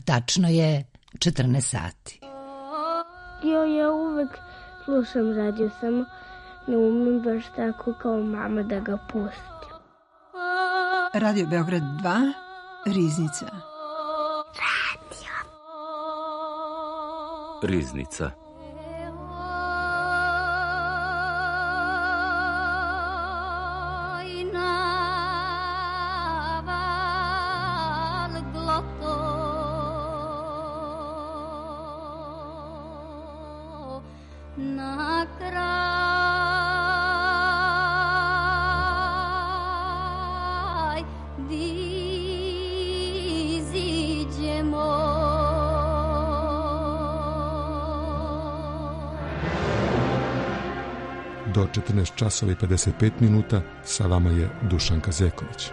Tačno je 14 sati. Ja uvek slušam radio, samo ne umem baš tako kao mama da ga pustim. Radio Beograd 2, Riznica. Riznica. Do 14 časova i 55 minuta sa vama je Dušanka Zeković.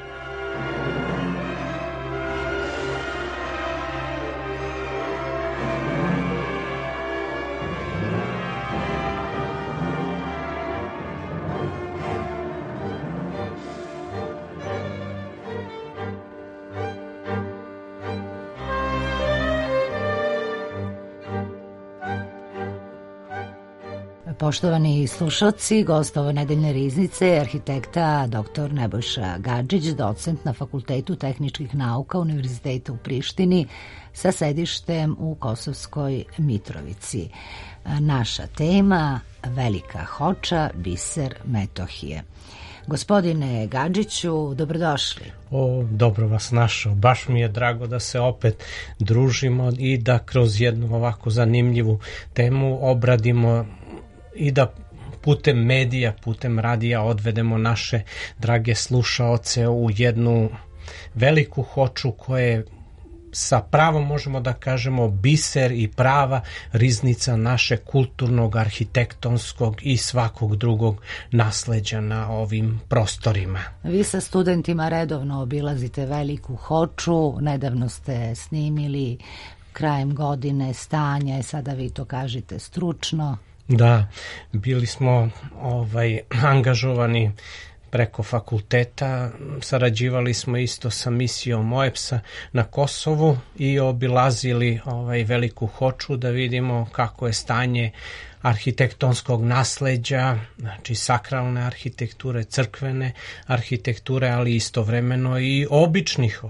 Poštovani slušalci, gost ove nedeljne riznice je arhitekta dr. Nebojša Gadžić, docent na Fakultetu tehničkih nauka Univerziteta u Prištini sa sedištem u Kosovskoj Mitrovici. Naša tema Velika Hoča, biser Metohije. Gospodine Gadžiću, dobrodošli. Dobro vas našao. Baš mi je drago da se opet družimo i da kroz jednu ovako zanimljivu temu obradimo i da putem medija, putem radija odvedemo naše drage slušaoce u jednu veliku hoču koja je sa pravom možemo da kažemo biser i prava riznica naše kulturnog, arhitektonskog i svakog drugog nasleđa na ovim prostorima. Vi sa studentima redovno obilazite veliku hoču, nedavno ste snimili krajem godine stanje, sada vi to kažete stručno. Da, bili smo angažovani preko fakulteta, sarađivali smo isto sa misijom OEBS-a na Kosovu i obilazili veliku hoču da vidimo kako je stanje arhitektonskog nasleđa, znači sakralne arhitekture, crkvene arhitekture, ali istovremeno i običnih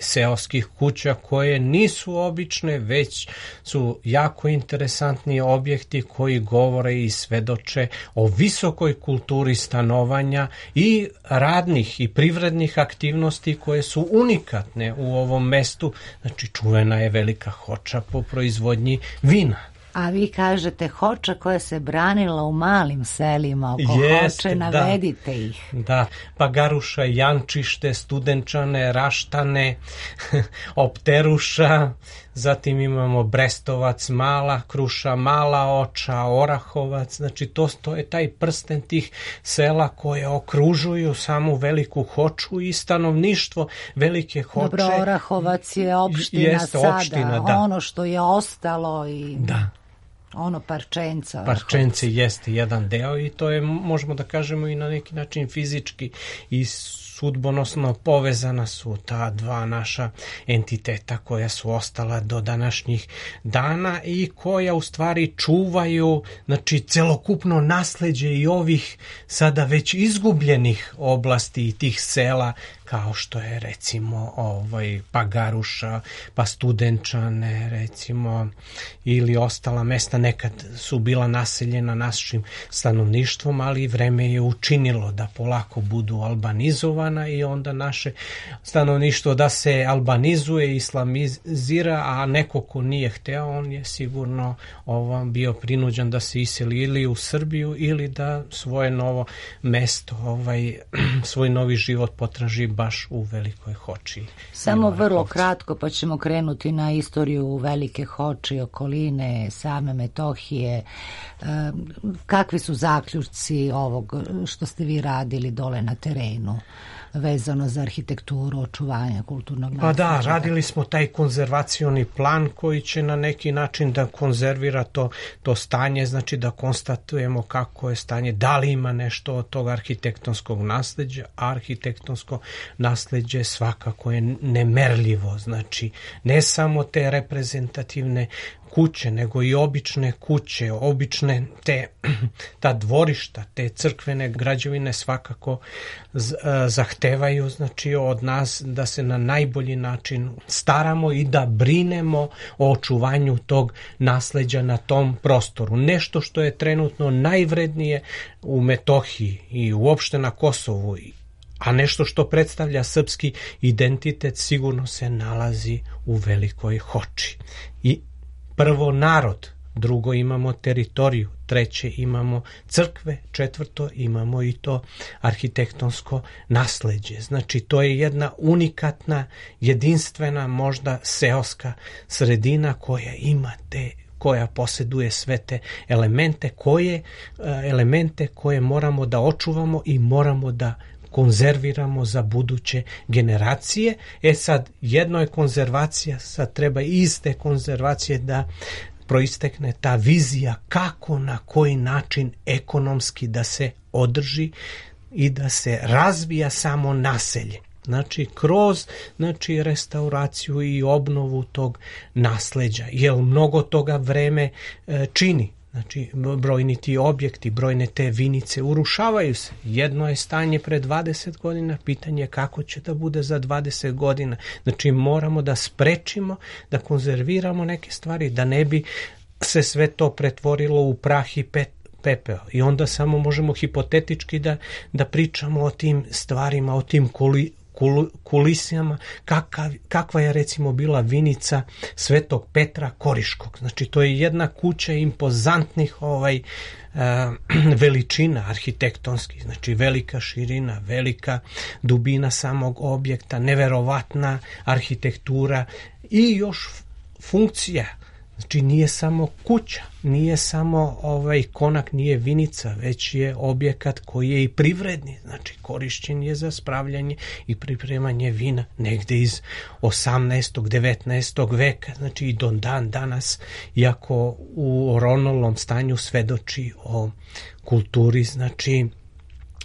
seoskih kuća koje nisu obične, već su jako interesantni objekti koji govore i svedoče o visokoj kulturi stanovanja i radnih i privrednih aktivnosti koje su unikatne u ovom mestu. Znači čuvena je velika hoča po proizvodnji vina. A vi kažete hoča koja se branila u malim selima oko hoče, navedite ih. Da, Pagaruša, Jančište, Studenčane, Raštane, Opteruša, zatim imamo Brestovac, Mala Kruša, Mala Oča, Orahovac, znači to je taj prsten tih sela koje okružuju samu veliku hoču i stanovništvo velike hoče. Dobro, Orahovac je opština sada, da. Ono što je ostalo i... Da. Ono Parčenca. Parčence jeste jedan deo i to je, možemo da kažemo, i na neki način fizički i sudbonosno povezana su ta dva naša entiteta koja su ostala do današnjih dana i koja u stvari čuvaju, znači, celokupno nasleđe i ovih sada već izgubljenih oblasti i tih sela, kao što je recimo Pagaruša, pa Studenčane recimo, ili ostala mesta nekad su bila naseljena našim stanovništvom, ali vreme je učinilo da polako budu albanizovana i onda naše stanovništvo da se albanizuje, islamizira, a neko ko nije hteo, on je sigurno bio prinuđen da se iseli ili u Srbiju ili da svoje novo mesto, svoj novi život potraži baš u Velikoj Hoči. Samo vrlo kratko, pa ćemo krenuti na istoriju Velike Hoče, okoline, same Metohije. Kakvi su zaključci ovog što ste vi radili dole na terenu? vezano za arhitekturu, očuvanje kulturnog nasleđa? Pa da, radili smo taj konzervacioni plan koji će na neki način da konzervira to stanje, znači da konstatujemo kako je stanje, da li ima nešto od tog arhitektonskog nasleđa. Arhitektonsko nasleđe svakako je nemerljivo, znači ne samo te reprezentativne kuće, nego i obične kuće, obične ta dvorišta, te crkvene građevine svakako zahtevaju, znači, od nas da se na najbolji način staramo i da brinemo o očuvanju tog nasleđa na tom prostoru. Nešto što je trenutno najvrednije u Metohiji i uopšte na Kosovu, a nešto što predstavlja srpski identitet, sigurno se nalazi u Velikoj Hoči. I prvo narod, drugo imamo teritoriju, treće imamo crkve, četvrto imamo i to arhitektonsko nasleđe. Znači to je jedna unikatna, jedinstvena, možda seoska sredina koja ima koja posjeduje sve te elemente koje moramo da očuvamo i moramo da konzerviramo za buduće generacije. Sad, jedno je konzervacija, sad treba iz te konzervacije da proistekne ta vizija kako, na koji način ekonomski da se održi i da se razvija samo naselje. Znači, kroz restauraciju i obnovu tog nasleđa, jer mnogo toga vreme čini. Znači, brojni ti objekti, brojne te vinice urušavaju se. Jedno je stanje pre 20 godina, pitanje je kako će da bude za 20 godina. Znači, moramo da sprečimo, da konzerviramo neke stvari, da ne bi se sve to pretvorilo u prah i pepeo. I onda samo možemo hipotetički da pričamo o tim stvarima, o tim kulisama, kakva je recimo bila vinica Svetog Petra Koriškog. Znači to je jedna kuća impozantnih veličina arhitektonskih, znači velika širina, velika dubina samog objekta, neverovatna arhitektura i još funkcija. Znači nije samo kuća, nije samo konak, nije vinica, već je objekat koji je i privredni, znači korišćen je za spravljanje i pripremanje vina negde iz 18. 19. veka, znači i do dan danas, iako u oronulom stanju svedoči o kulturi, znači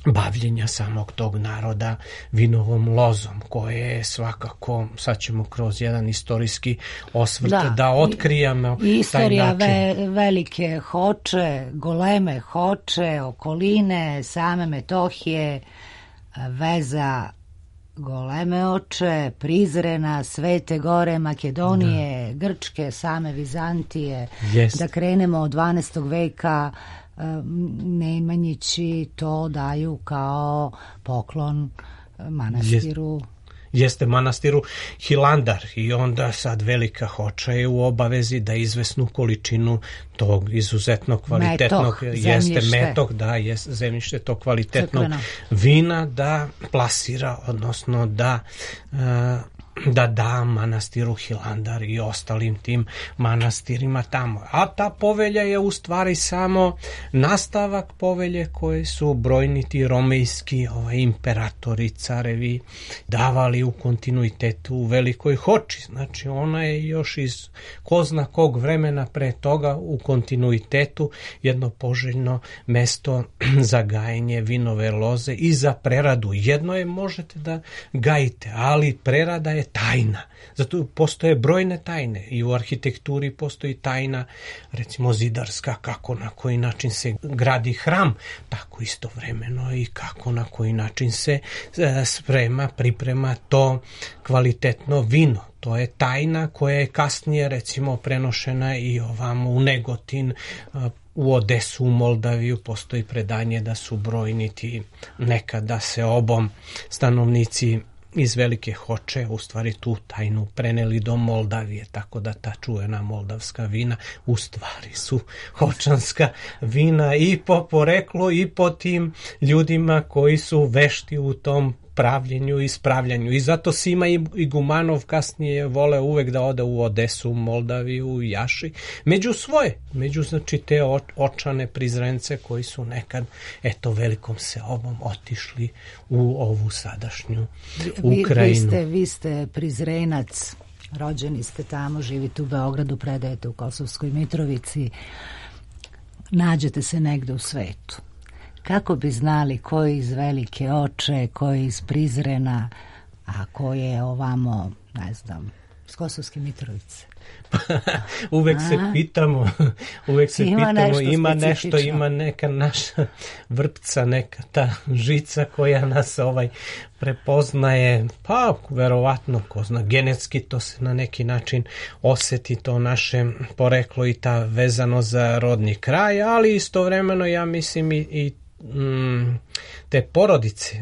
bavljenja samog tog naroda vinovom lozom, koje je svakako, sad ćemo kroz jedan istorijski osvrt da otkrijemo istorija Velike Hoče, goleme Hoče, okoline, same Metohije, veza Goleme Oče, Prizrena, Svete Gore, Makedonije, Grčke, same Vizantije, da krenemo od 12. veka. Nemanjići to daju kao poklon manastiru. Jeste manastiru Hilandar, i onda sad Velika Hoča je u obavezi da izvesnu količinu tog izuzetno kvalitetnog zemljište tog kvalitetnog vina da plasira, odnosno da da manastiru Hilandar i ostalim tim manastirima tamo. A ta povelja je u stvari samo nastavak povelje koje su brojni ti romejski imperatori, carevi davali u kontinuitetu u Velikoj Hoči. Znači ona je još iz ko zna kog vremena pre toga u kontinuitetu jedno poželjno mesto za gajenje vinove loze i za preradu. Jedno je možete da gajite, ali prerada je tajna. Zato postoje brojne tajne i u arhitekturi postoji tajna, recimo zidarska, kako na koji način se gradi hram, tako istovremeno i kako na koji način se priprema to kvalitetno vino. To je tajna koja je kasnije recimo prenošena i ovamo u Negotin, u Odesu, u Moldaviju. Postoji predanje da su brojni ti nekada se obom stanovnici iz Velike Hoče u stvari tu tajnu preneli do Moldavije, tako da ta čuvena moldavska vina u stvari su hočanska vina i po poreklu i po tim ljudima koji su vešti u tom pravljenju i ispravljanju. I zato Sima Igumanov kasnije vole uvek da ode u Odesu, Moldaviju, Jaši, među znači te očane Prizrence koji su nekad velikom seobom otišli u ovu sadašnju Ukrajinu. Vi ste Prizrenac, rođeni ste tamo, živite u Beogradu, predajete u Kosovskoj Mitrovici, nađete se negde u svetu. Kako bi znali ko je iz Velike Oče, ko je iz Prizrena, a ko je ovamo, ne znam, iz Kosovske Mitrovice? Uvek se pitamo, ima nešto, ima neka naša vrpca, neka ta žica koja nas prepoznaje, pa verovatno, ko zna, genetski to se na neki način oseti, to naše poreklo i ta vezano za rodni kraj, ali istovremeno ja mislim i te porodice,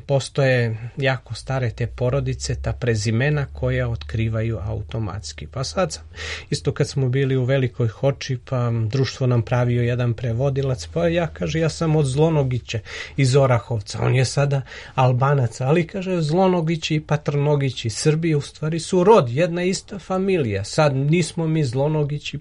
postoje jako stare te porodice, ta prezimena koja otkrivaju automatski. Pa sad sam, isto kad smo bili u Velikoj Hoči, pa društvo nam pravio jedan prevodilac, pa ja sam od Zlonogića iz Orahovca, on je sada Albanac, ali kaže Zlonogići i Patrnogići Srbije u stvari su rod, jedna ista familija. Sad nismo mi Zlonogići,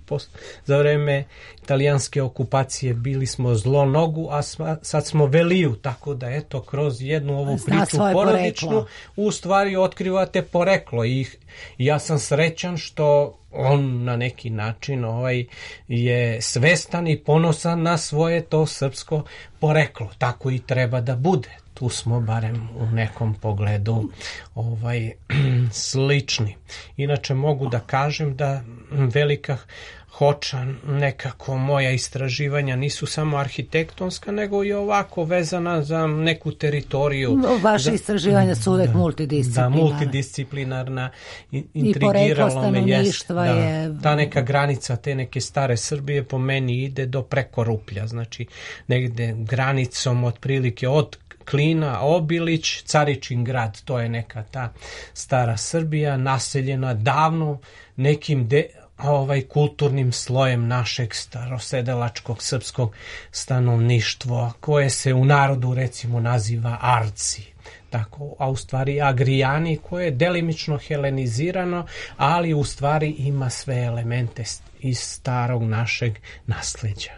za vreme italijanske okupacije bili smo Zlonogu, a sad smo Veliju, tako da eto, kroz jednu ovu priču porodičnu u stvari otkrivate poreklo i ja sam srećan što on na neki način je svestan i ponosan na svoje to srpsko poreklo, tako i treba da bude. Tu smo barem u nekom pogledu slični. Inače mogu da kažem da Velika Hoča, nekako moja istraživanja nisu samo arhitektonska, nego i ovako vezana za neku teritoriju. Vaše istraživanja su uvek multidisciplinarna. Da, multidisciplinarna, intrigiralo me je. Ta neka granica, te neke stare Srbije po meni ide do preko Ruplja, znači negde granicom otprilike od Klina, Obilić, Caričin grad, to je neka ta stara Srbija, naseljena davno nekim kulturnim slojem našeg starosedelačkog srpskog stanovništva, koje se u narodu recimo naziva Arci, tako, a u stvari Agrijani, koje je delimično helenizirano, ali u stvari ima sve elemente iz starog našeg nasleđa.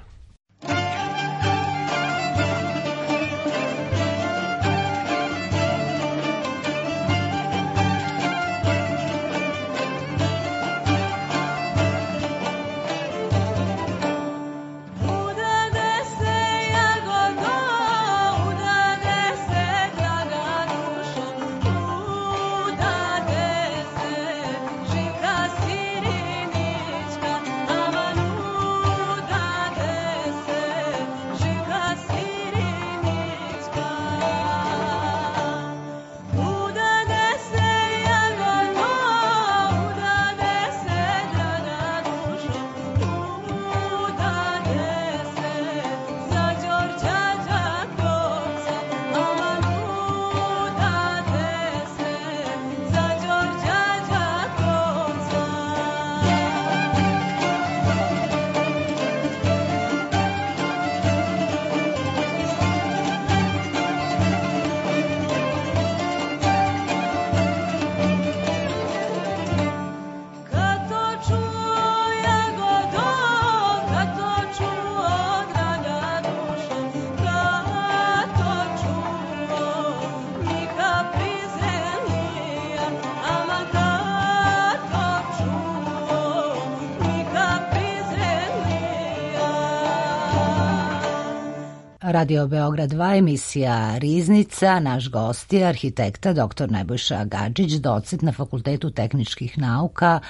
Radio Beograd 2, emisija Riznica. Naš gost je arhitekta dr. Nebojša Gadžić, docent na Fakultetu tehničkih nauka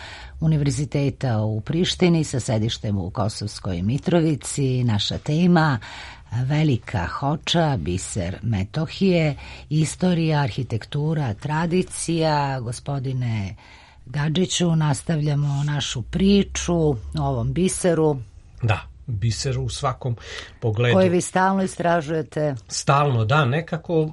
Univerziteta u Prištini sa sedištem u Kosovskoj Mitrovici. Naša tema Velika Hoča, biser Metohije, istorija, arhitektura, tradicija. Gospodine Gadžiću, nastavljamo našu priču o ovom biseru. Da, biser u svakom pogledu. Koji vi stalno istražujete? Stalno, da, nekako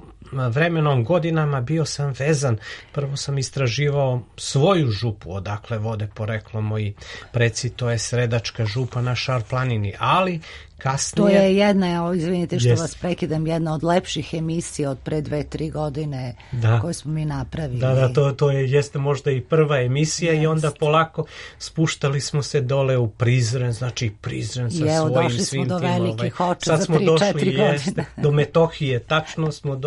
vremenom, godinama bio sam vezan. Prvo sam istraživao svoju župu, odakle vode poreklo moji preci, to je Sredačka župa na Šar planini, ali kasnije. To je jedna, izvinite što vas prekidam, jedna od lepših emisija od pre 2-3 godine koje smo mi napravili. To jeste možda i prva emisija i onda polako spuštali smo se dole u Prizren, znači Prizren sa svojim svim tim. Sad smo došli do Metohije, tačno smo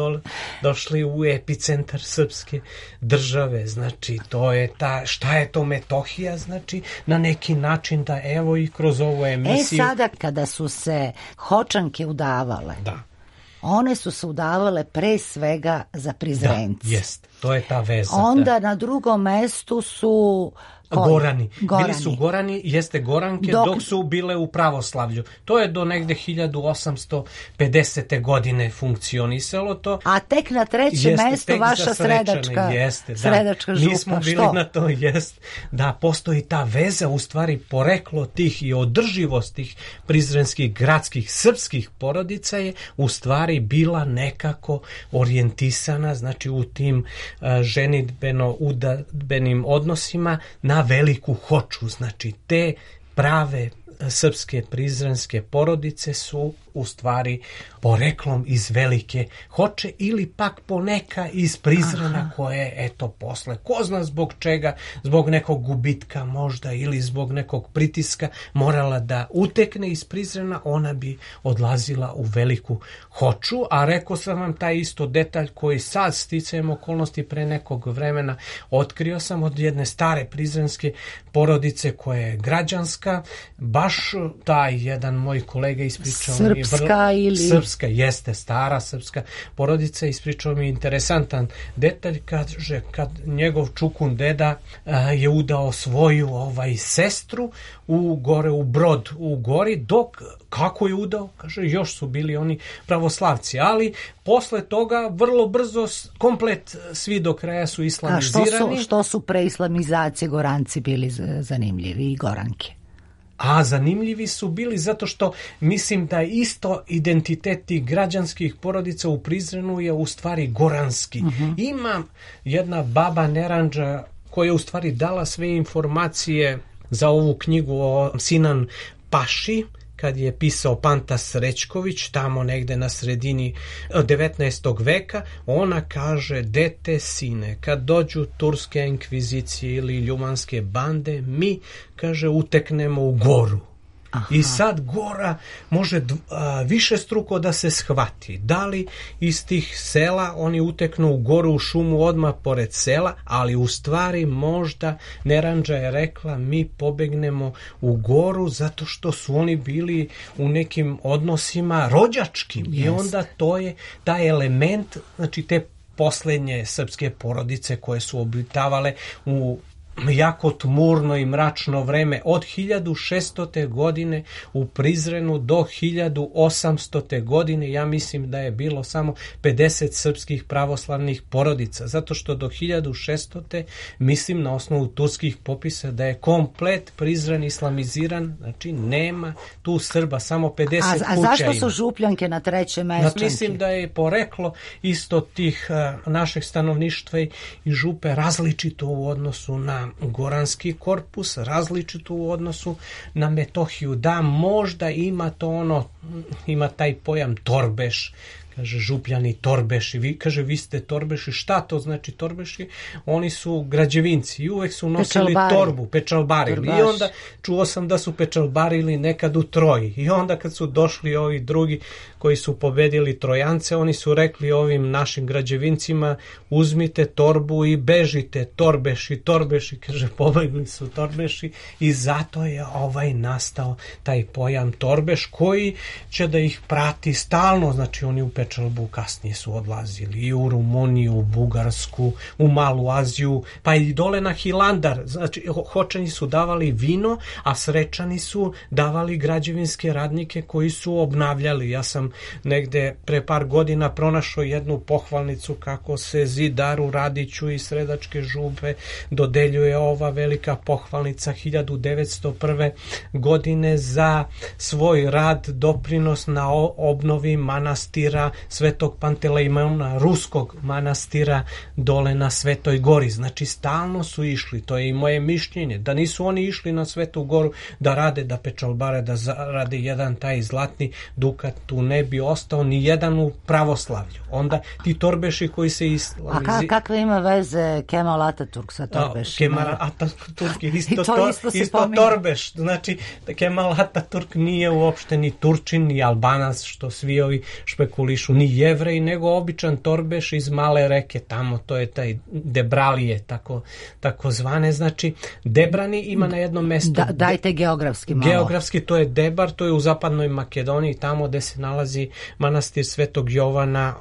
došli u epicentar srpske države, znači to je šta je to Metohija, znači na neki način da evo i kroz ovu emisiju. Sada kada su se Hočanke udavale, one su se udavale pre svega za Prizrenci. Jest, to je ta veza. Onda na drugom mestu su Gorani. Bili su Gorani, jeste Goranke, dok su bile u pravoslavlju. To je do negde 1850. godine funkcionisalo to. A tek na trećem mestu vaša Sredačka župa. Nismo bili na to, da postoji ta veza, u stvari poreklo tih i održivost tih prizrenskih gradskih srpskih porodica je u stvari bila nekako orijentisana, znači u tim ženidbeno-udadbenim odnosima na veliku Hoču, znači te prave srpske prizrenske porodice su u stvari poreklom iz velike Hoče ili pak poneka iz Prizrena koje eto posle, ko zna zbog čega, zbog nekog gubitka možda ili zbog nekog pritiska morala da utekne iz Prizrena, ona bi odlazila u veliku Hoču, a rekao sam vam taj isto detalj koji sad sticajem okolnosti pre nekog vremena otkrio sam od jedne stare prizrenske porodice koja je građanska, baš taj jedan moj kolega ispričao Srpska, jeste stara srpska porodica, ispričao mi interesantan detalj, kaže kad njegov čukun deda je udao svoju sestru u Brod u Gori, dok kako je udao, kaže još su bili oni pravoslavci, ali posle toga vrlo brzo komplet svi do kraja su islamizirani. A što su pre islamizacije Goranci bili zanimljivi i Goranke? A zanimljivi su bili zato što mislim da isto identitet tih građanskih porodica u Prizrenu je u stvari goranski. Ima jedna baba Neranđa koja je u stvari dala sve informacije za ovu knjigu o Sinan Paši, kad je pisao Panta Srećković, tamo negde na sredini 19. veka, ona kaže, dete sine, kad dođu turske inkvizicije ili ljumanske bande, mi, kaže, uteknemo u Goru. I sad Gora može više struko da se shvati. Da li iz tih sela oni uteknu u Goru, u šumu odmah pored sela, ali u stvari možda Neranđa je rekla mi pobegnemo u Goru zato što su oni bili u nekim odnosima rođačkim. I onda to je taj element, znači te poslednje srpske porodice koje su obitavale u jako tmurno i mračno vreme od 1600. godine u Prizrenu do 1800. godine, ja mislim da je bilo samo 50 srpskih pravoslavnih porodica, zato što do 1600. mislim na osnovu turskih popisa da je komplet Prizren islamiziran, znači nema tu Srba, samo 50 kuća. A zašto su Župljanke na trećem mestu? Mislim da je poreklo isto tih našeg stanovništva i župe različito u odnosu na goranski korpus, različito u odnosu na Metohiju. Da, možda ima to ima taj pojam Torbeš, kaže Župljani Torbeši, kaže vi ste Torbeši, šta to znači Torbeši? Oni su građevinci i uvek su nosili torbu, pečalbarili. I onda čuo sam da su pečalbarili nekad u Troji. I onda kad su došli ovi drugi koji su pobedili Trojance, oni su rekli ovim našim građevincima uzmite torbu i bežite, Torbeši, kaže pobegli su Torbeši i zato je nastao taj pojam Torbeš koji će da ih prati stalno, znači oni u Pečalbu kasnije su odlazili i u Rumuniju, u Bugarsku, u Malu Aziju, pa i dole na Hilandar. Znači, Hočani su davali vino, a Srečani su davali građevinske radnike koji su obnavljali. Ja sam negde pre par godina pronašao jednu pohvalnicu kako se Zidaru Radiću iz Sredačke župe dodeljuje ova velika pohvalnica 1901. godine za svoj rad, doprinos na obnovi manastira Svetog Pantelejmona, ruskog manastira dole na Svetoj gori. Znači stalno su išli, to je i moje mišljenje, da nisu oni išli na Svetu goru da rade, da pečalbare, da zarade jedan taj zlatni dukat, tu ne bi ostao ni jedan u pravoslavlju. Onda ti torbeši koji se A kakve ima veze Kemal Ataturk sa torbešima? Kemal Ataturk je isto torbeš. Znači, Kemal Ataturk nije uopšte ni Turčin, ni Albanac, što svi ovi špekulišu, ni Jevrej, nego običan torbeš iz Male reke, tamo, to je taj Debralije, tako zvane. Znači, Debrani ima na jednom mestu... Dajte geografski malo. Geografski, to je Debar, to je u zapadnoj Makedoniji, tamo gde se nalazi manastir Svetog Jovana,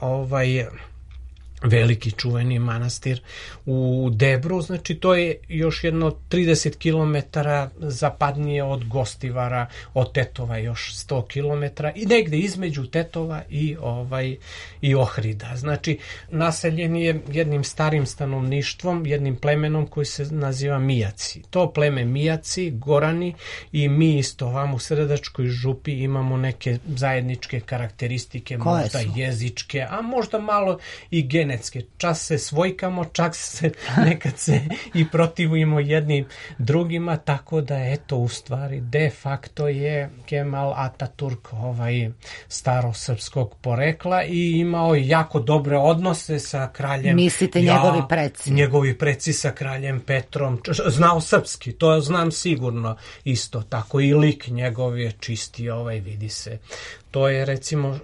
veliki čuveni manastir u Debru, znači to je još jedno 30 km zapadnije od Gostivara, od Tetova još 100 km i negde između Tetova i Ohrida. Znači naseljen je jednim starim stanovništvom, jednim plemenom koji se naziva Mijaci. To pleme Mijaci, Gorani i mi isto vam u Sredačkoj župi imamo neke zajedničke karakteristike, možda jezičke, a možda malo i genetske. Čas se svojkamo, čak se nekad se i protivujemo jednim drugima, tako da eto u stvari de facto je Kemal Ataturk starosrpskog porekla i imao jako dobre odnose sa kraljem. Mislite njegovi preci? Njegovi preci sa kraljem Petrom. Znao srpski, to znam sigurno isto tako i lik njegov je čisti, vidi se. To je recimo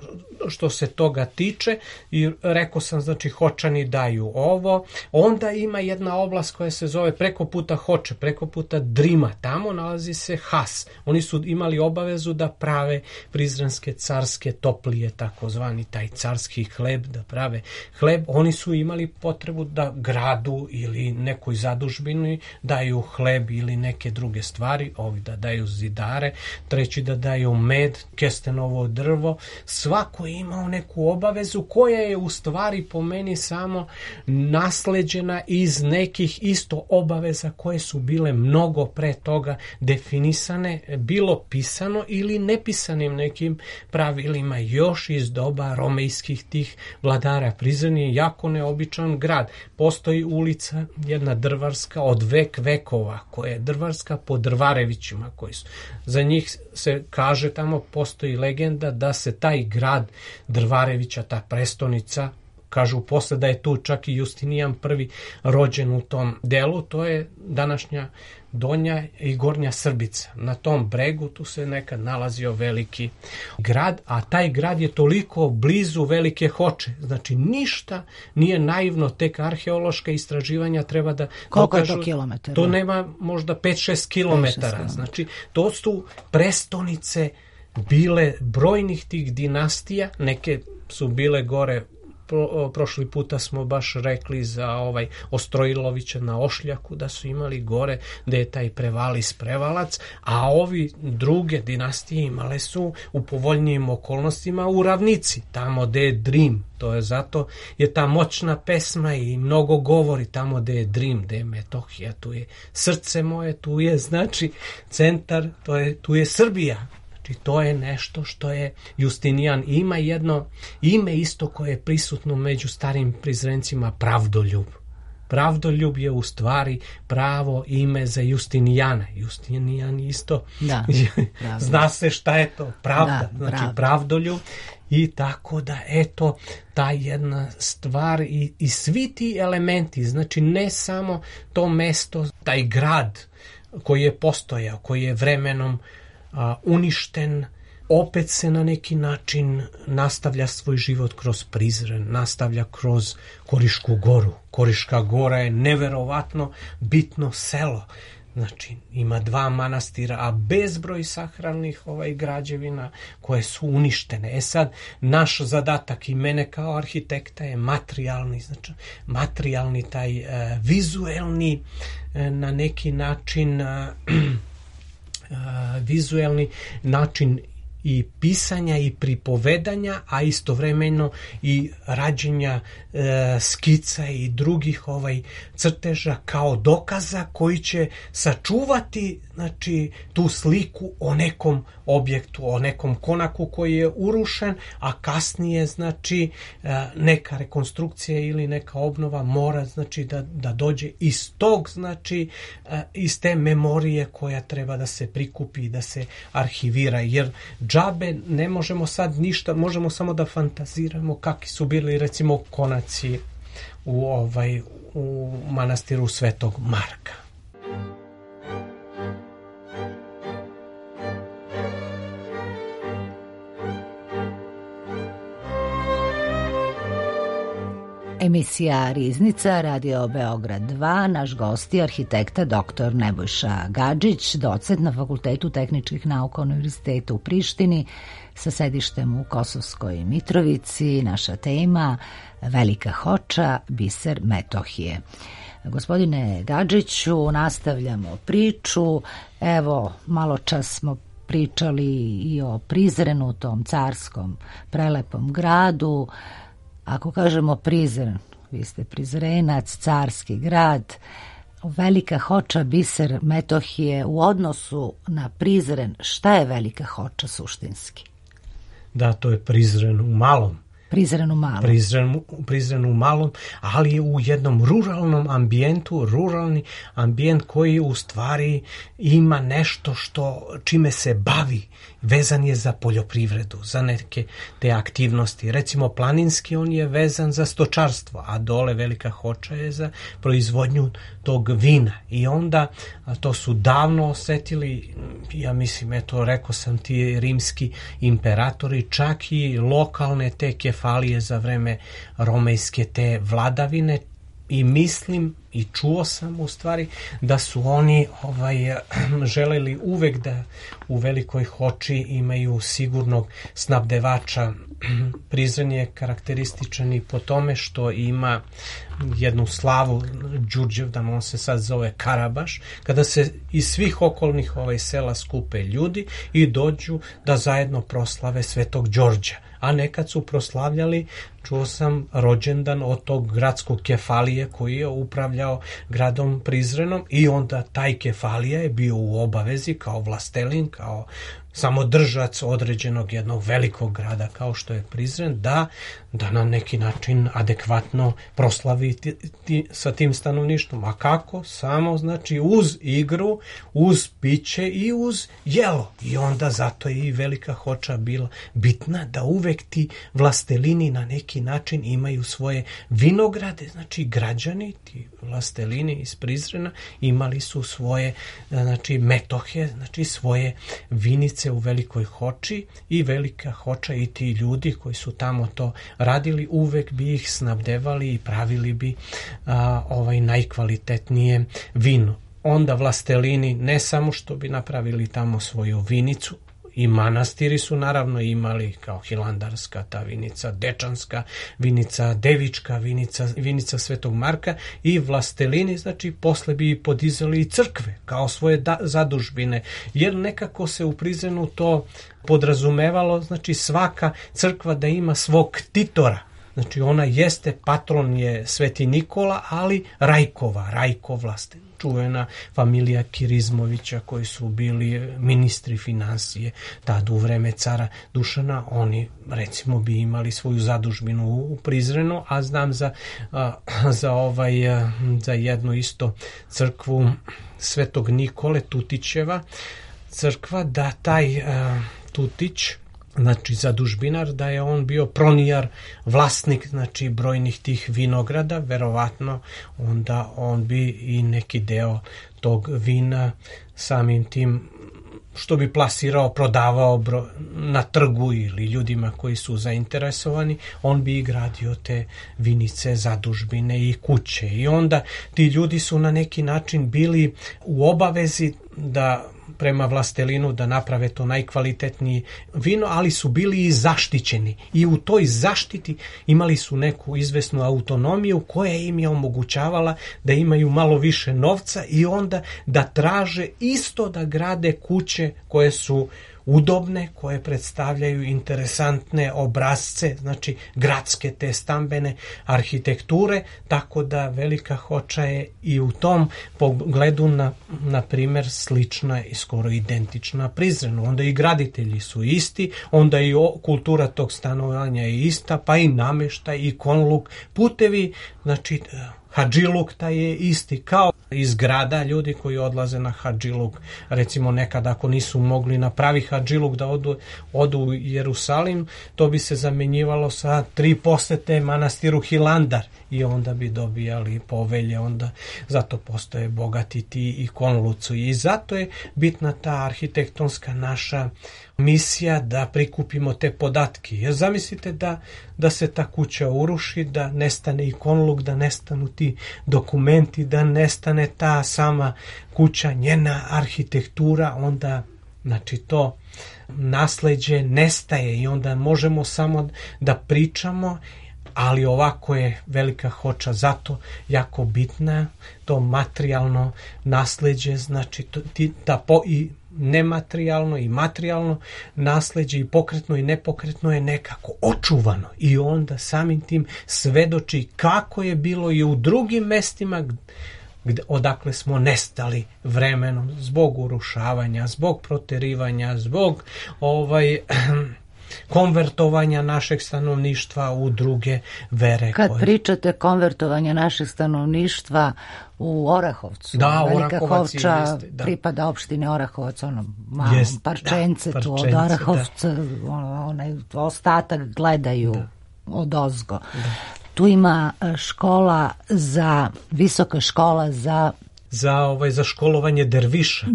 što se toga tiče i rekao sam, znači Hočani daju ovo. Onda ima jedna oblast koja se zove preko puta Hoče, preko puta Drima, tamo nalazi se Has. Oni su imali obavezu da prave prizrenske carske toplije, takozvani taj carski hleb, da prave hleb. Oni su imali potrebu da gradu ili nekoj zadužbini daju hleb ili neke druge stvari, ovi da daju zidare, treći da daju med, kestenovo drvo. Svako je imao neku obavezu koja je u stvari po meni samo nasleđena iz nekih isto obaveza koje su bile mnogo pre toga definisane, bilo pisano ili nepisanim nekim pravilima još iz doba romejskih tih vladara. Prizren je jako neobičan grad. Postoji ulica, jedna drvarska od vekova, koja je drvarska po Drvarevićima, koji su. Za njih se kaže, tamo postoji legenda da se taj grad Drvarevića, ta prestonica, kažu posle da je tu čak i Justinijan I rođen u tom delu, to je današnja Donja i Gornja Srbica. Na tom bregu tu se nekad nalazio veliki grad, a taj grad je toliko blizu Velike Hoče. Znači ništa nije naivno, tek arheološka istraživanja treba da koliko dokažu. Je to kilometara? To nema možda 5-6 kilometara. Znači to su prestonice bile brojnih tih dinastija, neke su bile gore. Prošli puta smo baš rekli za Ostrojilovića na Ošljaku, da su imali gore gde je taj Prevalis Prevalac, a ovi druge dinastije imale su u povoljnijim okolnostima u ravnici, tamo gde je Drim. To je zato je ta moćna pesma i mnogo govori tamo gde je Drim, gde je Metohija, tu je srce moje, tu je znači centar, tu je Srbija. I to je nešto što je Justinijan. Ima jedno ime isto koje je prisutno među starim Prizrencima, Pravdoljub. Pravdoljub je u stvari pravo ime za Justinijana. Justinijan isto. Da, zna se šta je to. Pravda. Da, znači Pravdoljub. I tako da eto ta jedna stvar i svi ti elementi, znači ne samo to mesto, taj grad koji je postojao, koji je vremenom uništen, opet se na neki način nastavlja svoj život kroz Prizren, nastavlja kroz Korišku goru. Koriška gora je neverovatno bitno selo. Znači, ima 2 manastira, a bezbroj sakralnih građevina koje su uništene. Sad, naš zadatak i mene kao arhitekta je materijalni, znači materijalni taj vizuelni na neki način vizuelni način i pisanja i pripovedanja, a istovremeno i rađenja skica i drugih crteža kao dokaza koji će sačuvati, znači, tu sliku o nekom objektu, o nekom konaku koji je urušen, a kasnije, znači, neka rekonstrukcija ili neka obnova mora, znači, da dođe iz tog, znači, iz te memorije koja treba da se prikupi i da se arhivira, jer džabe ne možemo sad ništa, možemo samo da fantaziramo kakvi su bili, recimo, konaci u manastiru Svetog Marka. Emisija Riznica, Radio Beograd 2, naš gost je arhitekta dr. Nebojša Gadžić, docent na Fakultetu tehničkih nauka Univerziteta u Prištini sa sedištem u Kosovskoj Mitrovici. Naša tema Velika Hoča, biser Metohije. Gospodine Gadžiću, nastavljamo priču. Evo, malo čas smo pričali i o Prizrenu, tom carskom prelepom gradu. Ako kažemo Prizren, vi ste Prizrenac, carski grad, Velika Hoča, biser Metohije, u odnosu na Prizren, šta je Velika Hoča suštinski? Da, to je Prizren u malom. Prizren u malom, ali u jednom ruralnom ambijentu, ruralni ambijent koji u stvari ima nešto čime se bavi, vezan je za poljoprivredu, za neke te aktivnosti. Recimo planinski on je vezan za stočarstvo, a dole Velika Hoča je za proizvodnju tog vina. I onda to su davno osetili, ja mislim, eto, rekao sam ti, rimski imperatori, čak i lokalne te kefalije za vreme romejske te vladavine, i mislim i čuo sam u stvari da su oni želeli uvek da u Velikoj Hoči imaju sigurnog snabdevača. Prizren je karakterističan i po tome što ima jednu slavu Đurđevdan, on se sad zove Karabaš, kada se iz svih okolnih sela skupe ljudi i dođu da zajedno proslave Svetog Đorđa. A nekad su proslavljali, čuo sam, rođendan od tog gradskog kefalije koji je upravljao gradom Prizrenom, i onda taj kefalija je bio u obavezi kao vlastelin, kao samodržac određenog jednog velikog grada kao što je Prizren, da na neki način adekvatno proslavi sa tim stanovništvom. A kako? Samo, znači, uz igru, uz piće i uz jelo. I onda zato je i Velika Hoča bila bitna, da uvek ti vlastelini na neki način imaju svoje vinograde. Znači, građani, ti vlastelini iz Prizrena, imali su svoje, znači, metohe, znači svoje vinice u Velikoj Hoči, i Velika Hoča i ti ljudi koji su tamo to radili uvek bi ih snabdevali i pravili bi najkvalitetnije vino. Onda vlastelini ne samo što bi napravili tamo svoju vinicu, i manastiri su naravno imali kao Hilandarska ta vinica, Dečanska vinica, Devička vinica Svetog Marka, i vlastelini, znači, posle bi podizali i crkve kao svoje zadužbine, jer nekako se u Prizrenu to podrazumevalo, znači, svaka crkva da ima svog ktitora. Znači, ona jeste, patron je Sveti Nikola, ali Rajko vlastelin, čuvena familija Kirizmovića koji su bili ministri financije tad u vreme cara Dušana. Oni, recimo, bi imali svoju zadužbinu u Prizrenu, a znam za jednu isto crkvu Svetog Nikole, Tutićeva crkva, da taj Tutić, znači zadužbinar, da je on bio pronijar, vlasnik, znači, brojnih tih vinograda, verovatno onda on bi i neki deo tog vina samim tim što bi plasirao, prodavao na trgu ili ljudima koji su zainteresovani, on bi i gradio te vinice, zadužbine i kuće. I onda ti ljudi su na neki način bili u obavezi da prema vlastelinu da naprave to najkvalitetnije vino, ali su bili i zaštićeni. I u toj zaštiti imali su neku izvesnu autonomiju koja im je omogućavala da imaju malo više novca i onda da traže isto da grade kuće koje su udobne, koje predstavljaju interesantne obrazce, znači gradske te stambene arhitekture, tako da Velika Hoča je i u tom pogledu na primjer slična i skoro identična Prizrenu. Onda i graditelji su isti, onda i kultura tog stanovanja je ista, pa i namještaj i konluk, putevi, znači hadžiluk taj je isti kao iz grada. Ljudi koji odlaze na hadžiluk, recimo nekad ako nisu mogli napravi hadžiluk da odu u Jerusalim, to bi se zamjenjivalo sa 3 posete manastiru Hilandar i onda bi dobijali povelje, onda zato postoje bogati ti i konlucu i zato je bitna ta arhitektonska naša misija da prikupimo te podatke. Jer zamislite da se ta kuća uruši, da nestane i konluk, da nestanu ti dokumenti, da nestane ta sama kuća, njena arhitektura, onda znači to nasleđe nestaje i onda možemo samo da pričamo, ali ovako je Velika Hoča zato jako bitna, to materijalno nasleđe, znači i nematerijalno i materijalno nasleđe i pokretno i nepokretno je nekako očuvano i onda samim tim svedoči kako je bilo i u drugim mestima odakle smo nestali vremenom zbog urušavanja, zbog proterivanja, zbog konvertovanja našeg stanovništva u druge vere. Kad pričate konvertovanja našeg stanovništva u Orahovcu, da, Velika Hoča pripada opštine Orahovac, ono malo parčence tu od Orahovca, onaj ostatak gledaju odozgo. Da. Tu ima visoka škola za školovanje derviša.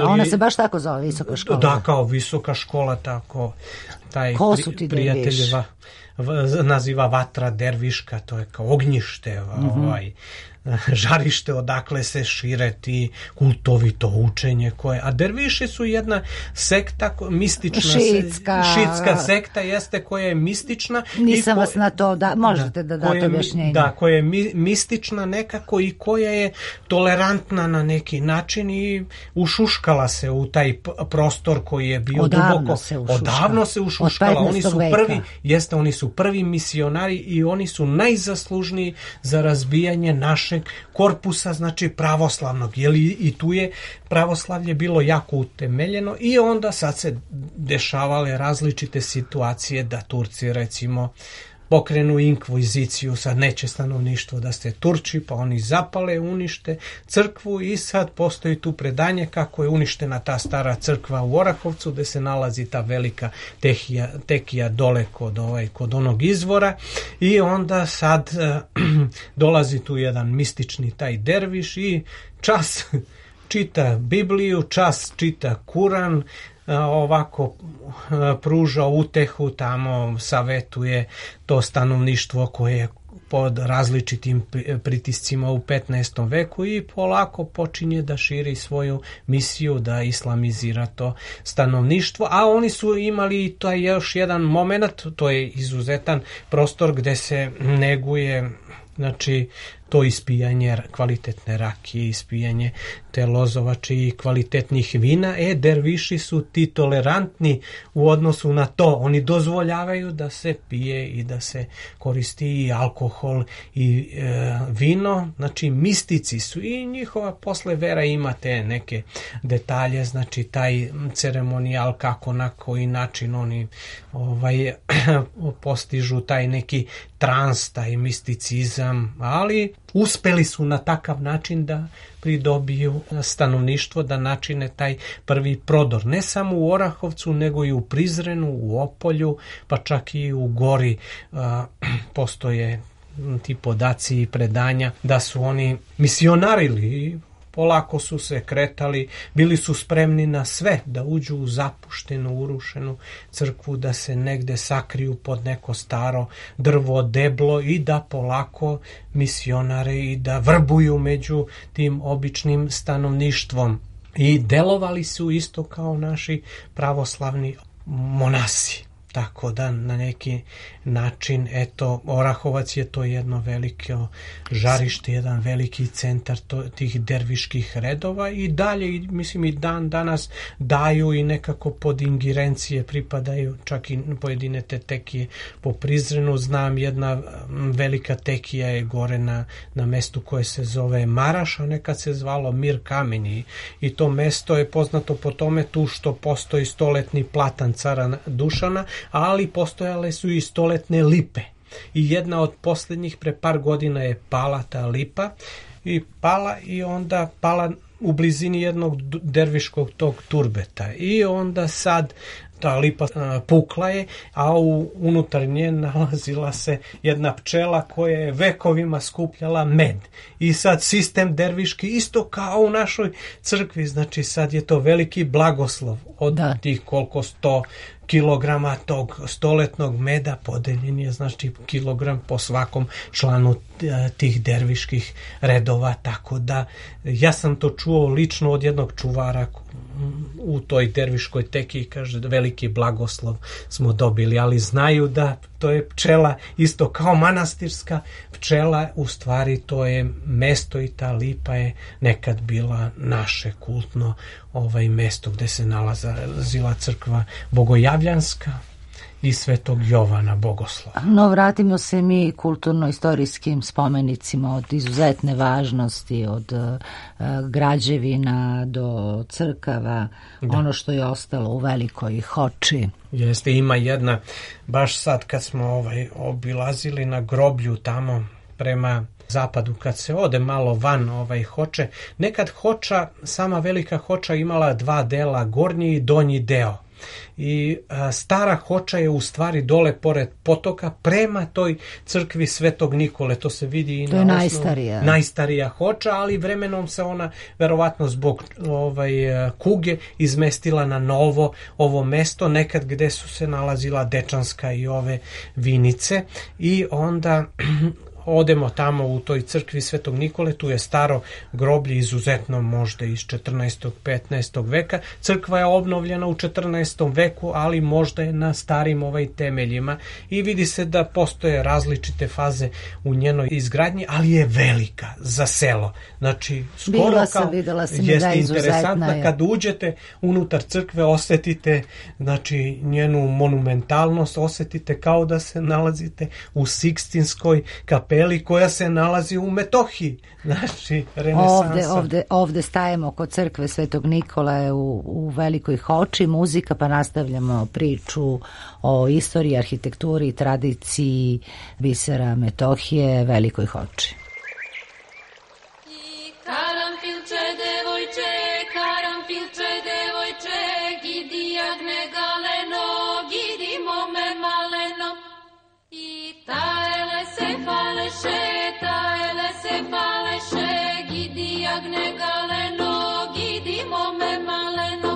Ona se baš tako zove, visoka škola. Da, kao visoka škola, tako. Ko su ti derviši? Naziva vatra derviška, to je kao ognjište, žarište odakle se šire ti kultovito učenje koje, a derviši su jedna sekta mistična, šitska sekta jeste koja je mistična. Nisam vas na to, možete da date objašnjenje. Da, koja je mistična nekako i koja je tolerantna na neki način i ušuškala se u taj prostor koji je bio odavno se ušuškala. Oni su prvi misionari i oni su najzaslužniji za razbijanje našeg korpusa, znači pravoslavnog, jer i tu je pravoslavlje bilo jako utemeljeno i onda sad se dešavale različite situacije da Turci recimo pokrenu inkviziciju, sad neće stanovništvo da ste Turči, pa oni zapale, unište crkvu i sad postoji tu predanje kako je uništena ta stara crkva u Orahovcu gde se nalazi ta velika tekija dole kod onog izvora i onda sad dolazi tu jedan mistični taj derviš i čas čita Bibliju, čas čita Kuran, ovako pruža utehu, tamo savetuje to stanovništvo koje je pod različitim pritiscima u 15. veku i polako počinje da širi svoju misiju, da islamizira to stanovništvo, a oni su imali taj još jedan moment, to je izuzetan prostor gde se neguje, znači to ispijanje kvalitetne rakije, ispijanje te lozovače i kvalitetnih vina. Derviši su ti tolerantni u odnosu na to. Oni dozvoljavaju da se pije i da se koristi i alkohol i vino. Znači mistici su i njihova posle vera ima te neke detalje, znači taj ceremonijal kako na koji način oni postižu taj neki trans, taj misticizam, ali uspeli su na takav način da pridobiju stanovništvo, da načine taj prvi prodor. Ne samo u Orahovcu, nego i u Prizrenu, u Opolju, pa čak i u Gori postoje ti podaci i predanja da su oni misionarili. Polako su se kretali, bili su spremni na sve, da uđu u zapuštenu, urušenu crkvu, da se negde sakriju pod neko staro drvo, deblo i da polako misionare i da vrbuju među tim običnim stanovništvom. I delovali su isto kao naši pravoslavni monasi. Tako da na neki način, eto, Orahovac je to jedno veliko žarište, jedan veliki centar tih derviških redova i dalje, mislim, i dan danas daju i nekako pod ingerencije pripadaju, čak i pojedine te tekije po Prizrenu. Znam, jedna velika tekija je gore na mestu koje se zove Maraš, a nekad se zvalo Mir Kameni, i to mesto je poznato po tome tu što postoji stoletni platan cara Dušana, ali postojale su i stoletne lipe. I jedna od posljednjih pre par godina je pala ta lipa i onda pala u blizini jednog derviškog tog turbeta. I onda sad ta lipa pukla je, a unutar nje nalazila se jedna pčela koja je vekovima skupljala med. I sad sistem derviški isto kao u našoj crkvi, znači sad je to veliki blagoslov od tih koliko 100 kilograma tog stoletnog meda podeljen je, znači kilogram po svakom članu tih derviških redova, tako da ja sam to čuo lično od jednog čuvara u toj derviškoj teki, kaže da veliki blagoslov smo dobili, ali znaju da to je pčela isto kao manastirska pčela, u stvari to je mesto i ta lipa je nekad bila naše kultno mesto gde se nalazila crkva Bogojavljanska i Svetog Jovana Bogoslova. No, vratimo se mi kulturno-istorijskim spomenicima od izuzetne važnosti, od građevina do crkava, ono što je ostalo u Velikoj Hoči. Jeste, ima jedna, baš sad kad smo obilazili na groblju tamo prema zapadu, kad se ode malo van Hoče, nekad Hoča, sama Velika Hoča imala dva dela, gornji i donji deo. I stara Hoča je u stvari dole pored potoka prema toj crkvi Svetog Nikole, to se vidi i to na najstarija Hoča, ali vremenom se ona verovatno zbog kuge izmestila na novo ovo mesto, nekad gde su se nalazila Dečanska i ove vinice, i onda odemo tamo u toj crkvi Svetog Nikole, tu je staro groblje, izuzetno možda iz 14. 15. veka. Crkva je obnovljena u 14. veku, ali možda je na starim temeljima i vidi se da postoje različite faze u njenoj izgradnji, ali je velika za selo. Znači, skoro videla sam jeste interesantna. Kad uđete unutar crkve, osetite, znači, njenu monumentalnost, osetite kao da se nalazite u Sikstinskoj kapeli koja se nalazi u Metohiji, znači renesansa. Ovde stajemo kod crkve Svetog Nikole u Velikoj Hoči, muzika, pa nastavljamo priču o istoriji, arhitekturi i tradiciji bisera Metohije, Velikoj Hoči. Karanfilče devojče, gidi jagne galeno, gidi mome maleno. I taele se faleše, gidi jagne galeno, gidi mome maleno.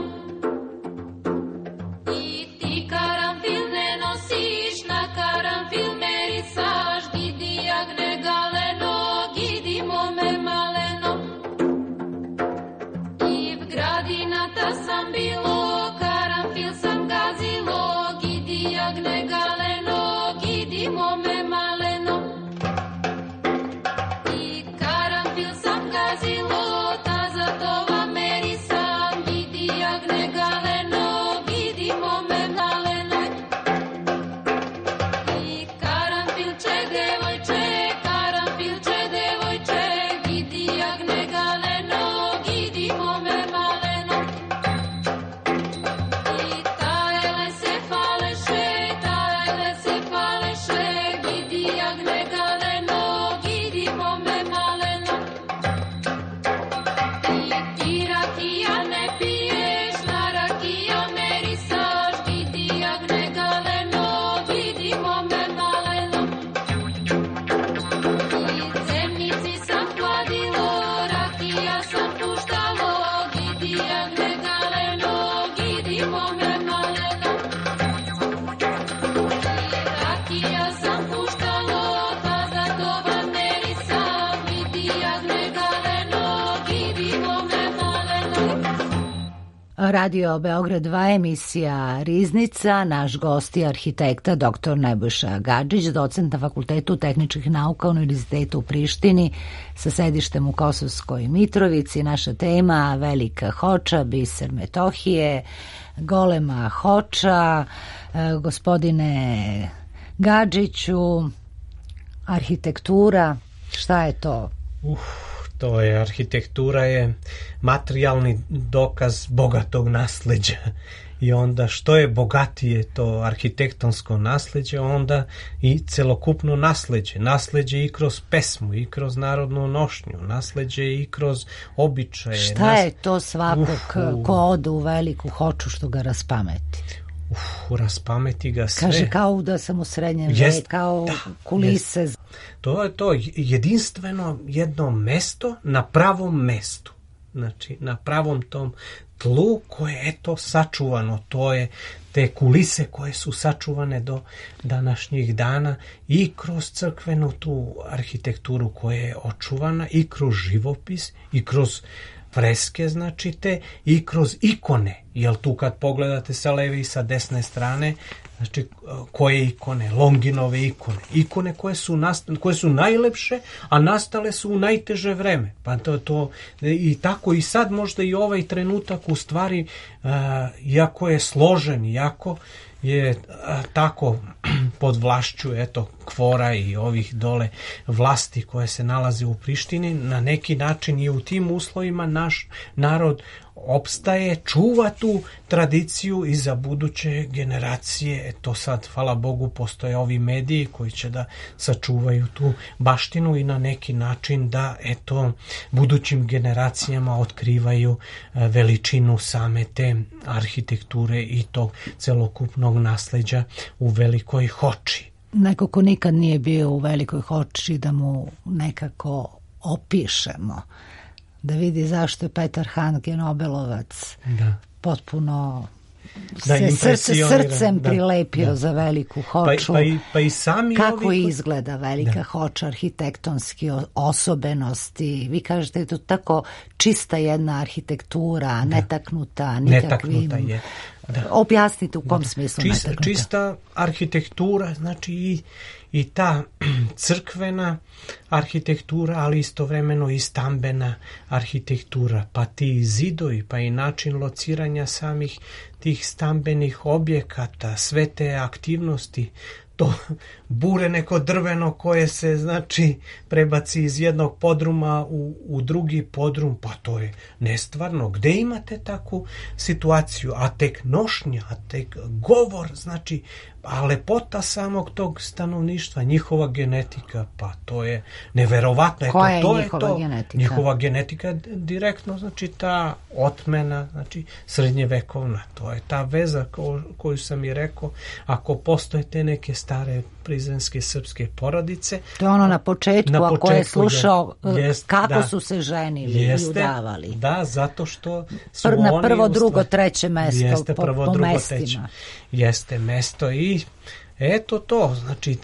I ti karanfil ne nosiš, na karanfil merisaš, gidi jagne galeno, gidi mome maleno. I v gradinata sam bilo, karanfil sam gazilo, gidi jagne galeno, gidi mome maleno. I karanfil sam gazilo, Radio Beograd 2, emisija Riznica. Naš gost je arhitekta dr. Nebojša Gadžić, docent na Fakultetu tehničkih nauka Univerziteta u Prištini sa sedištem u Kosovskoj Mitrovici. Naša tema Velika Hoča, biser Metohije, golema Hoča. Gospodine Gadžiću, arhitektura, šta je to? To je, arhitektura je materijalni dokaz bogatog nasleđa. I onda što je bogatije to arhitektonsko nasleđe, onda i celokupno nasleđe. Nasleđe i kroz pesmu, i kroz narodnu nošnju, nasleđe i kroz običaje. Šta je to svakog ko ode u Veliku Hoču što ga raspameti? Raspameti ga sve. Kaže kao da sam u srednjem veku, kao kulise. Jest. To je to jedinstveno jedno mesto na pravom mestu. Znači, na pravom tom tlu koje je to sačuvano. To je te kulise koje su sačuvane do današnjih dana i kroz crkvenu tu arhitekturu koja je očuvana i kroz živopis i kroz freske, znači te, i kroz ikone. Jel tu kad pogledate sa leve i sa desne strane, znači koje ikone? Longinove ikone. Ikone koje su najlepše, a nastale su u najteže vreme. Pa to i tako i sad možda i ovaj trenutak u stvari, iako je složen, iako je tako pod vlašću KFOR-a i ovih dole vlasti koje se nalaze u Prištini, na neki način i u tim uslovima naš narod opstaje, čuva tu tradiciju i za buduće generacije. To sad, hvala Bogu, postoje ovi mediji koji će da sačuvaju tu baštinu i na neki način da budućim generacijama otkrivaju veličinu same te arhitekture i tog celokupnog nasleđa u Velikoj Hoči. Neko ko nikad nije bio u Velikoj Hoči, da mu nekako opišemo, da vidi zašto je Petar Handke Nobelovac potpuno srcem prilepio za Veliku Hoču. Pa i sami kako izgleda Velika Hoča, arhitektonski osobenosti. Vi kažete je to tako čista jedna arhitektura, netaknuta nikakvim. Netaknuta je. Objasnite u kom smislu netaknuta. Čista arhitektura, znači i ta crkvena arhitektura, ali istovremeno i stambena arhitektura, pa ti zidovi, pa i način lociranja samih tih stambenih objekata, sve te aktivnosti, to bure neko drveno koje se, znači, prebaci iz jednog podruma u drugi podrum, pa to je nestvarno. Gde imate takvu situaciju? A tek nošnja, a tek govor, znači, a lepota samog tog stanovništva, njihova genetika, pa to je neverovatno. Koja je njihova genetika? Njihova genetika direktno, znači ta otmena, znači srednjevekovna. To je ta veza koju sam i rekao, ako postoje te neke stare prizrenske srpske porodice. To je ono na početku ako je slušao kako su se ženili i udavali. Da, zato što su na prvo, drugo, treće mesto po mestima. Jeste mesto i eto to, znači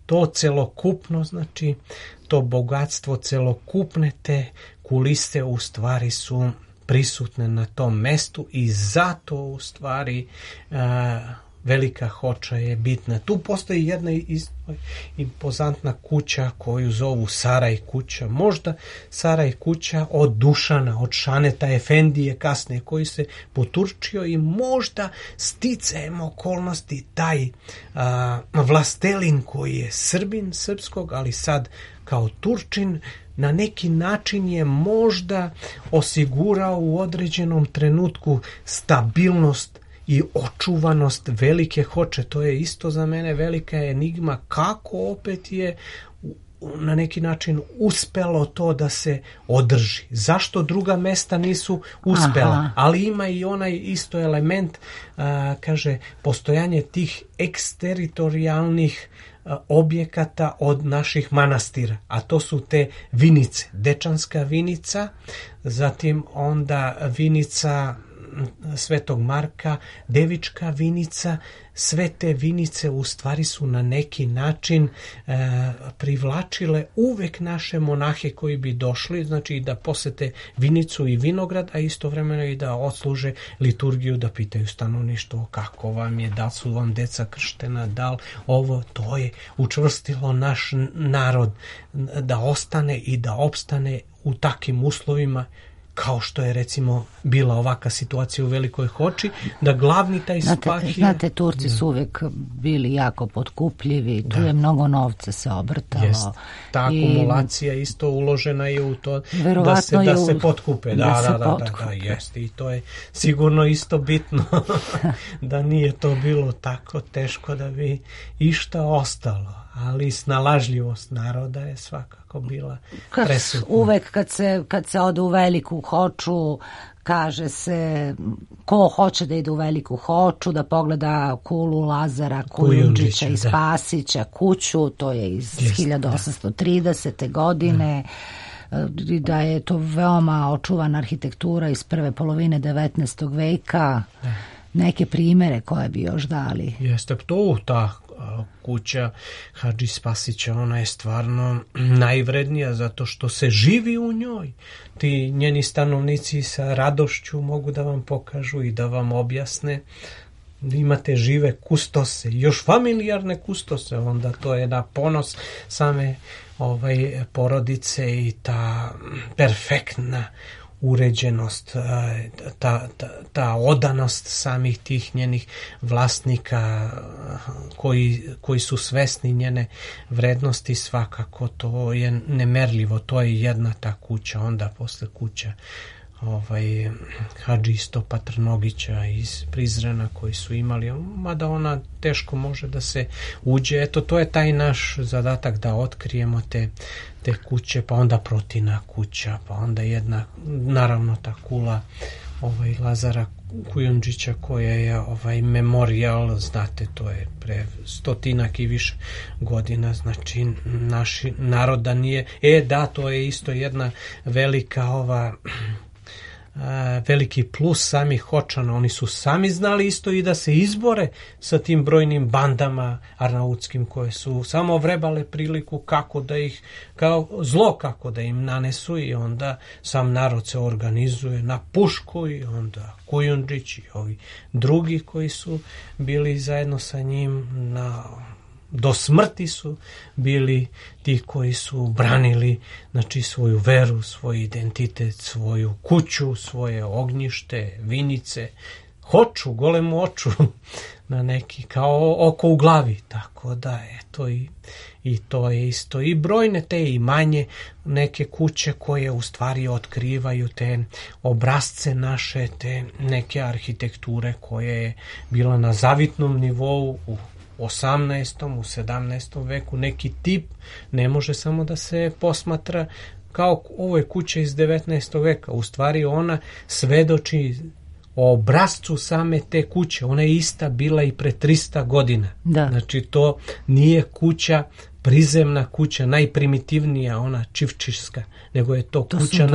to celokupno, znači to bogatstvo celokupne te kulise u stvari su prisutne na tom mestu i zato u stvari Velika Hoča je bitna. Tu postoji jedna impozantna kuća koju zovu Saraj kuća. Možda Saraj kuća od Dušana, od Šaneta Efendije kasnije koji se poturčio i možda sticajem okolnosti taj vlastelin koji je Srbin srpskog, ali sad kao Turčin, na neki način je možda osigurao u određenom trenutku stabilnost i očuvanost Velike Hoče. To je isto za mene velika enigma kako opet je na neki način uspelo to da se održi. Zašto druga mesta nisu uspela? Ali ima i onaj isto element, kaže, postojanje tih eksteritorijalnih objekata od naših manastira, a to su te vinice. Dečanska vinica, zatim onda vinica Svetog Marka, Devička vinica, sve te vinice u stvari su na neki način privlačile uvek naše monahe koji bi došli, znači da posete vinicu i vinograd, a istovremeno i da odsluže liturgiju, da pitaju stanovništvo kako vam je, da su vam deca krštena, da li ovo, to je učvrstilo naš narod da ostane i da opstane u takvim uslovima kao što je recimo bila ovaka situacija u Velikoj Hoči, da glavni taj spahija... Znate, Turci su uvek bili jako potkupljivi, tu je mnogo novca se obrtalo. Jest. Ta akumulacija isto uložena je u to da se potkupe. Da, jeste. I to je sigurno isto bitno da nije to bilo tako teško da bi išta ostalo. Ali snalažljivost naroda je svakako bila presutna. Uvek kad se ode u Veliku Hoču, kaže se ko hoće da ide u Veliku Hoču, da pogleda kulu Lazara Kujundžića i Spasića, kuću, to je iz 1830. godine, da je to veoma očuvana arhitektura iz prve polovine 19. veka. Neke primere koje bi još dali. Jeste to ta kuća Hadži Spasića, ona je stvarno najvrednija zato što se živi u njoj. Ti njeni stanovnici sa radošću mogu da vam pokažu i da vam objasne. Imate žive kustose, još familijarne kustose, onda to je na ponos same porodice i ta perfektna uređenost, ta odanost samih tih njenih vlasnika koji su svesni njene vrednosti, svakako to je nemerljivo. To je jedna ta kuća, onda posle kuća Hadži Istopa Trnogića iz Prizrena koji su imali, mada ona teško može da se uđe. Eto, to je taj naš zadatak da otkrijemo te kuće, pa onda Protina kuća, pa onda jedna, naravno ta kula Lazara Kujundžića koja je memorijal, znate, to je pre 100 i više godina, znači naši naroda nije, to je isto jedna velika veliki plus samih Hočana, oni su sami znali isto i da se izbore sa tim brojnim bandama arnautskim koje su samo vrebale priliku kako da ih, kao zlo kako da im nanesu, i onda sam narod se organizuje na pušku i onda Kujundžić i ovi drugi koji su bili zajedno sa njim do smrti su bili ti koji su branili, znači, svoju veru, svoj identitet, svoju kuću, svoje ognjište, vinice, Hoču, golemu oču na neki, kao oko u glavi, tako da eto i to je isto. I brojne te i manje neke kuće koje u stvari otkrivaju te obrazce naše, te neke arhitekture koje je bila na zavitnom nivou u 18. u 17. veku. Neki tip ne može samo da se posmatra kao ovo je kuća iz 19. veka. U stvari ona svedoči o obrazcu same te kuće. Ona je ista bila i pre 300 godina. Da. Znači to nije kuća, prizemna kuća, najprimitivnija, ona čivčišska, nego je to kuća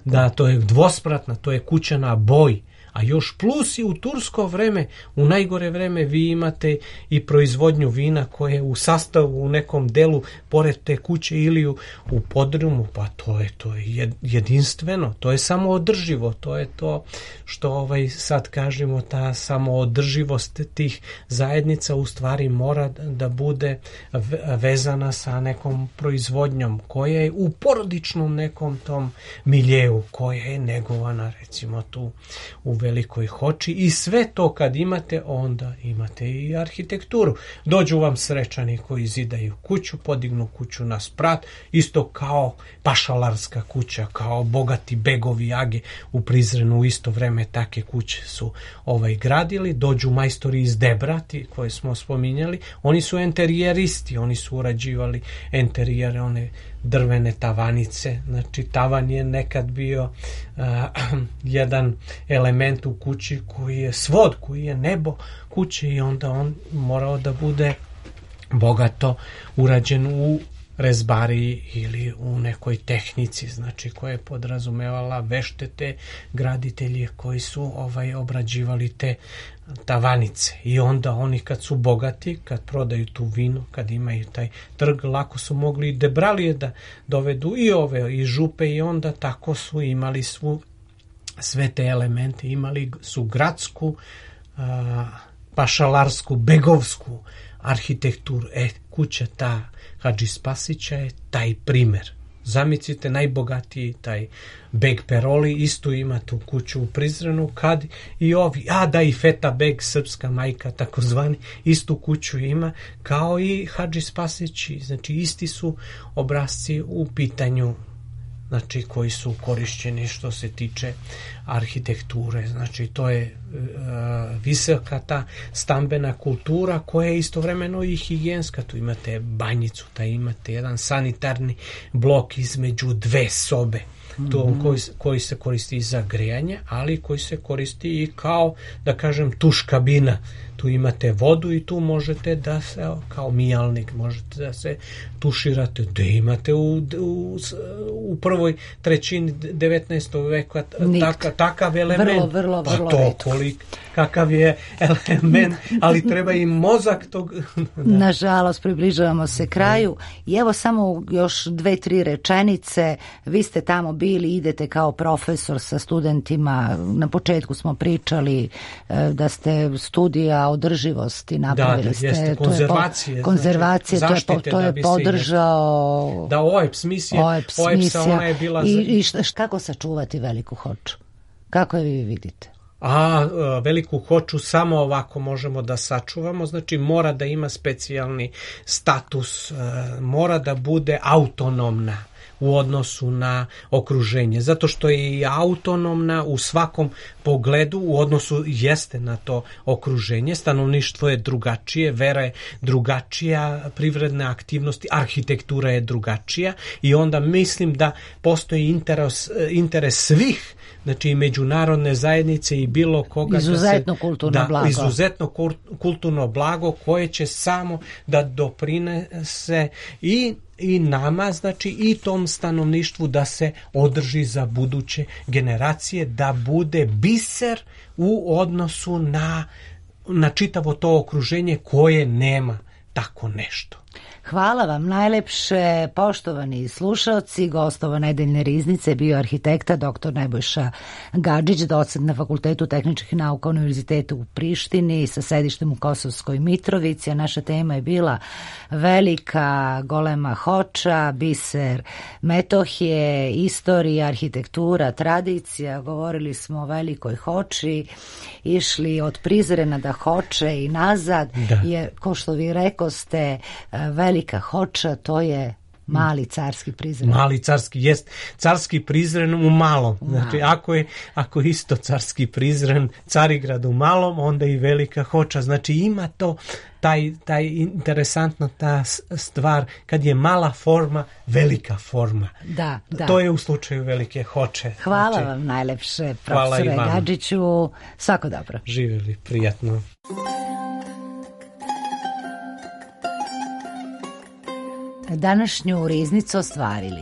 na... to je dvospratna, to je kuća na boj. A još plus i u tursko vreme, u najgore vreme, vi imate i proizvodnju vina koje u sastavu u nekom delu pored te kuće ili u podrumu, pa to je jedinstveno, to je samoodrživo, to je to što sad kažemo, ta samoodrživost tih zajednica u stvari mora da bude vezana sa nekom proizvodnjom koja je u porodičnom nekom tom miljeu, koja je negovana recimo tu u Velikoj Hoči, i sve to kad imate, onda imate i arhitekturu. Dođu vam Srečani koji zidaju kuću, podignu kuću na sprat, isto kao pašalarska kuća, kao bogati begovi age u Prizrenu, u isto vreme take kuće su gradili. Dođu majstori iz Debrati koje smo spominjali, oni su enterijeristi, oni su urađivali enterijere, one drvene tavanice, znači tavan je nekad bio jedan element u kući koji je svod, koji je nebo kuće, i onda on morao da bude bogato urađen u rezbari ili u nekoj tehnici, znači koja je podrazumevala veštete graditelje koji su obrađivali te tavanice. I onda oni kad su bogati, kad prodaju tu vino, kad imaju taj trg, lako su mogli debralije da dovedu i župe, i onda tako su imali sve te elemente, imali su gradsku, pašalarsku, begovsku arhitekturu. Kuća ta Hadži Spasića je taj primer. Zamislite, najbogatiji taj Beg Peroli isto ima tu kuću u Prizrenu, kad i ovi, i Feta Beg, srpska majka takozvani, istu kuću ima kao i Hadži Spasići. Znači isti su obrazci u pitanju, znači koji su korišćeni što se tiče arhitekture. Znači to je visoka ta stambena kultura koja je istovremeno i higijenska. Tu imate banjicu, imate jedan sanitarni blok između dve sobe, koji se koristi za grejanje, ali koji se koristi i kao, da kažem, tuš kabina. Tu imate vodu i tu možete da se, kao mijalnik, možete da se tuširate. Da imate u prvoj trećini 19. veka takav element. Vrlo kakav je element, ali treba i mozak tog. Nažalost, približavamo se kraju i evo samo još 2-3 rečenice. Vi ste tamo bili, idete kao profesor sa studentima. Na početku smo pričali da ste studija održivosti napravili. Jeste, konzervacije, zaštite, to je podržao OEPS misija, ona je bila i kako sačuvati Veliku Hoču? Kako je vi vidite? Veliku Hoču samo ovako možemo da sačuvamo, znači mora da ima specijalni status, mora da bude autonomna u odnosu na okruženje, zato što je i autonomna u svakom pogledu, u odnosu jeste na to okruženje, stanovništvo je drugačije, vera je drugačija, privredne aktivnosti, arhitektura je drugačija i onda mislim da postoji interes svih, znači i međunarodne zajednice i bilo koga izuzetno kulturno blago koje će samo da doprinese i nama, znači i tom stanovništvu da se održi za buduće generacije, da bude biser u odnosu na čitavo to okruženje koje nema tako nešto. Hvala vam najlepše, poštovani slušaoci. Gostova nedeljne riznice bio arhitekta dr. Nebojša Gadžić, docent na Fakultetu tehničkih nauka Univerziteta u Prištini sa sedištem u Kosovskoj Mitrovici, a naša tema je bila Velika golema Hoča, biser Metohije, istorija, arhitektura, tradicija. Govorili smo o Velikoj Hoči, išli od Prizrena do Hoče i nazad, jer, ko što vi rekoste, Velika Hoča, to je mali carski Prizren. Mali carski, jest carski Prizren u malom. Znači, ako je isto carski Prizren, Carigrad u malom, onda i Velika Hoča. Znači, ima to taj interesantna ta stvar, kad je mala forma, velika forma. Da. To je u slučaju Velike Hoče. Hvala vam najlepše, profesore Gadžiću. Svako dobro. Živjeli, prijatno. Današnju riznicu ostvarili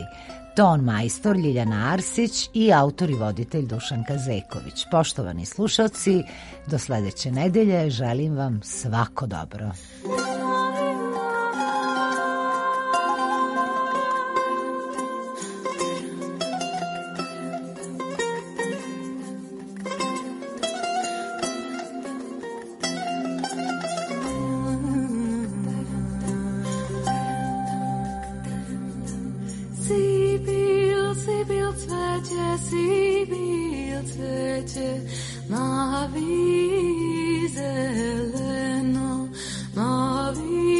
ton majstor Ljiljana Arsić i autor i voditelj Dušan Kazeković. Poštovani slušalci, do sledeće nedelje želim vam svako dobro. Navi zeleno, navi